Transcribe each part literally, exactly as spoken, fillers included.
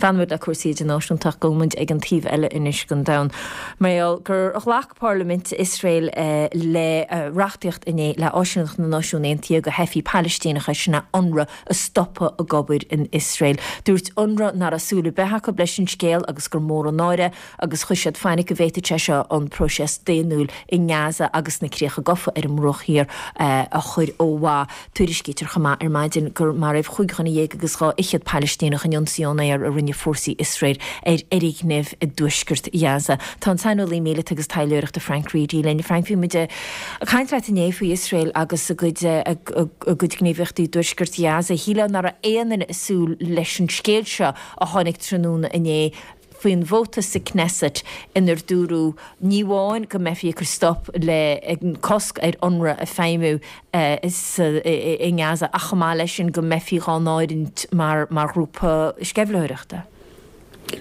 Fanfaidh muid le cúrsaí idirnáisiúnta ach gabhfaidh muid ag an taobh eile anois den domhan. Mar gur ghlac Parlaimint Iosrael eh, le eh, reachtaíocht inné le áisíneacht na Náisiún Aontaithe do theifigh Palaistíneacha sin UNRWA a stopadh ag obair in Iosrael. Dúirt UNRWA nach raibh súil ar bith acu leis an scéal agus gur mór an náire agus chuir siad fainic go bhféadfadh sé seo an próiseas daonnúil i nGaza agus na críocha gafa ar an mBruach Thiar eh, a chur ó mhaith. Tuairiscítear chomh maith ar maidin gur maraíodh cúig dhuine dhéag agus dhá fhichead Palaistíneach in ionsaí ón aer a rinne fórsaí Iosrael ar fhoirgnimh i dtuaisceart Ghaza. Tá an saineolaí míleata agus taidhleoireachta Frank Reidy linn. Frank bhí muid ag caint leat inné faoi Iosrael agus a gcuid a gcuid gníomhaíochtaí i dtuaisceart Ghaza. Shílfeá nach raibh aon duine ag súil leis an scéal seo a tháinig tráthnóna inné faoin vóta sa Knesset inar dúradh ní amháin go mbeifí ag cur stop le cosc ar UNRWA a feidhmiú i nGaza ach chomh maith leis sin go mbeifí á n-áireamh mar mar ghrúpa sceimhlitheoireachta.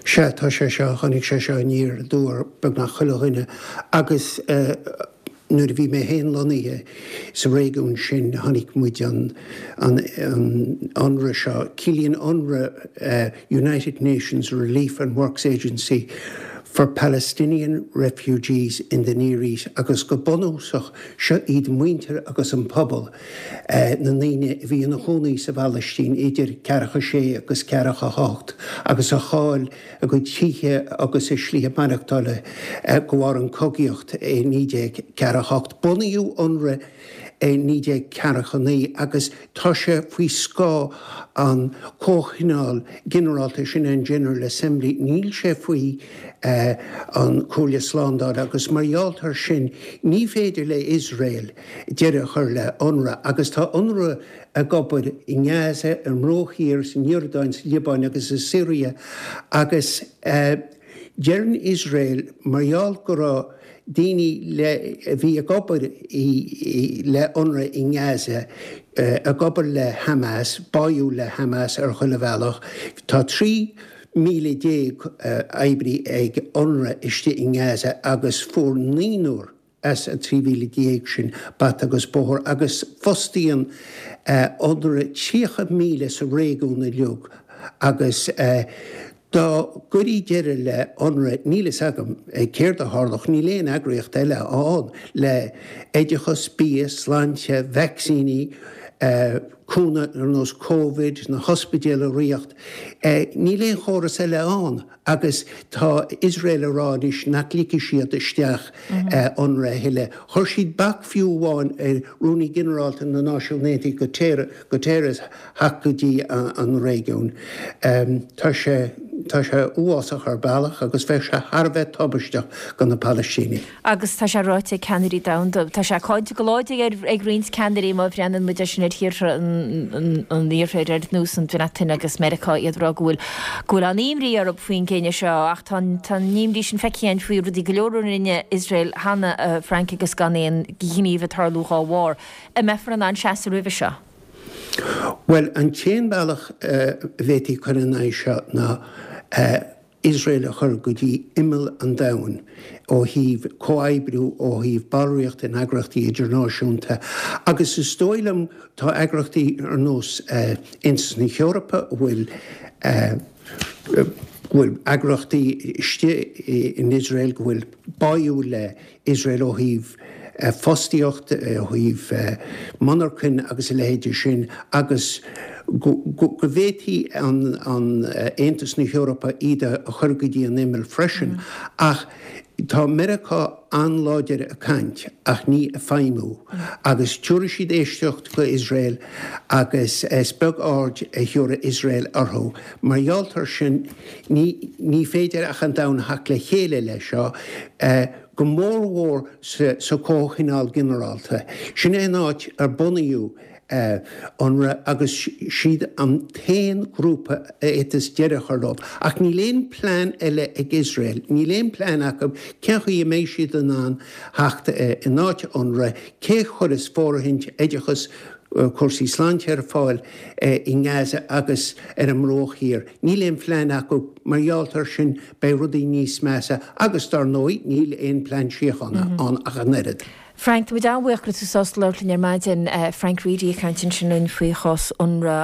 Sea tá sé seo tháinig sé seo aniar aduaidh ar beagnach chuile dhuine agus nuair a bhí mé féin lonnaithe sa réigiún sin tháinig muid an an an UNRWA seo ciallaíonn UNRWA uh, United Nations Relief and Works Agency for Palestinian Refugees in the Near East agus go bunúsach seo iad muintir agus an pobal uh, na ndaoine a bhí ina gcónaí sa Phalaistín idir ceathracha sé agus ceathracha hocht agus a chaill a gcuid tithe agus a slí maireachtála uh, de bharr an chogaíocht i naoi déag ceathracha hocht. Bunaíodh UNRWA i naoi déag ceathracha naoi agus tá sé faoi scáth an Comhthionól Ginearálta sin an General Assembly níl sé faoi uh, an Chomhairle Slándála agus mar gheall air sin ní féidir le Israel deireadh a chur le UNRWA agus tá UNRWA ag obair i nGaza ar an mBruach Thiar san Iordáin sa Liobáin agus i Siria agus uh, deireann Israel mar gheall go raibh daoine le a bhí ag obair le UNRWA i nGaza ag obair le Hamas, báúil le Hamas ar chuile bhealach, Tá trí míle déag oibrí ag UNRWA istigh i nGaza agus fuair naonúr as an trí mhíle déag sin bata agus bóthar agus fostaíonn UNRWA tríocha míle sa réigiún uilig agus uh, Dá gcuirfí deireadh le UNRWA níl a fhios agam céard a tharlódh níl aon eagraíocht eile ann le oideachas bia sláinte vacsaíní uh, cúnamh ar nós COVID na hospidéil a riar. Uh, níl aon chóras eile ann agus tá Israel ag rá anois nach ligfidh siad isteach mm -hmm. uh, UNRWA a thuilleadh. Chuir siad bac fiú amháin ar Rúnaí Ginearálta na Náisiún Aontaithe Guterres theacht go dtí an réigiún. Um, tá sé tá sé uafásach ar bhealach agus bheadh sé thar a bheith tubaisteach do na Palaistínigh. Agus tá sé ráite ag ceannairí domhanda Tá sé cáinte go láidir ag roinnt ceannairí má bhreathnaíonn muid sin ar thíortha an iarthair ar nós an Bhreatain agus Meiriceá iad ag rá go bhfuil go bhfuil an-imní orthu faoin gcinneadh seo ach tá imní sin feicthe faoi rudaí go leor a rinne Israel cheana Frank agus gan aon ghníomh ag tarlú dá bharr. An mbeifear in ann seasamh roimhe seo. Well an t-aon bhealach a bhféadfaí cur in aghaidh seo ná uh, Israel a chur go dtí imeall an domhain ó thaobh comhoibriú ó thaobh ballraíocht in eagraíochtaí idirnáisiúnta. Agus is dóigh liom tá eagraíochtaí ar nós uh, Aontas na hEorpa bhfuil uh, bhfuil eagraíochtaí istigh in Israel go bhfuil báúil le Israel ó thaobh fostaíocht ó thaobh monarchan agus a leithéide sin agus go bhféadfaí an Aontas na hEorpa iad a chur go dtí an imeall freisin mm. ach tá Meiriceá an-láidir ag caint ach ní ag feidhmiú agus tabharfaidh siad éisteacht go Israel agus is beag aird a thabharfaidh Israel orthu mar gheall air sin ní, ní féidir ach an domhan theacht le chéile le seo uh, go mórmhór sa, sa Chomhthionól Ginearálta. Sin é an áit ar bunaíodh uh, UNRWA agus siad an t-aon grúpa a fhéadfas deireadh a chur leo. Ach níl aon plean eile ag Israel, níl aon plean acu cén chaoi a mbeidh siad in ann theacht uh, in áit UNRWA, cé chuirfeas fóirithint oideachas cúrsaí sláinte ar fáil i nGaza agus ar an mBruach Thiar. Níl aon phlean acu mar gheall air sin beidh rudaí níos measa agus dar ndóigh níl aon plean síochána mm -hmm. ann ach an oiread. Frank, Tá muid an-bhuíoch go raibh tú sásta labhairt linn ar maidin Frank Reidy ag caint ansin faoi chás UNRWA.